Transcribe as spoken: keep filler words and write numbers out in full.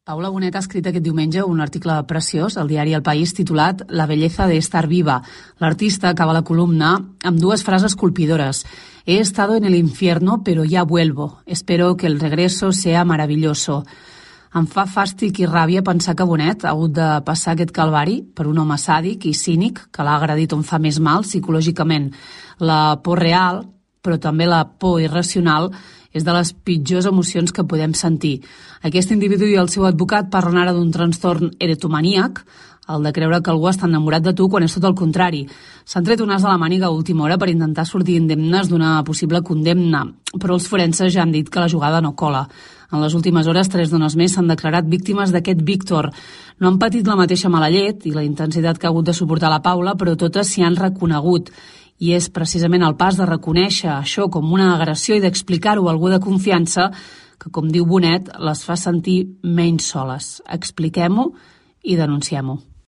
Paula Bonet ha escrit aquest diumenge un article preciós al diari El País titulat La belleza de estar viva. L'artista acaba la columna amb dues frases colpidores. He estado en el infierno, pero ya vuelvo. Espero que el regreso sea maravilloso. Em fa fàstic i ràbia pensar que Bonet ha hagut de passar aquest calvari per un home sàdic i cínic que l'ha agredit on fa més mal psicològicament. La por real, però també la por irracional, és de les pitjors emocions que podem sentir. Aquest individu i el seu advocat parlen ara d'un trastorn erotomaníac, el de creure que algú està enamorat de tu quan és tot el contrari. S'han tret un as de la màniga a última hora per intentar sortir indemnes d'una possible condemna, però els forenses ja han dit que la jugada no cola. En les últimes hores, tres dones més s'han declarat víctimes d'aquest Víctor. No han patit la mateixa mala llet i la intensitat que ha hagut de suportar la Paula, però totes s'hi han reconegut. I és precisament el pas de reconèixer això com una agressió i d'explicar-ho a algú de confiança que, com diu Bonet, les fa sentir menys soles. Expliquem-ho i denunciem-ho.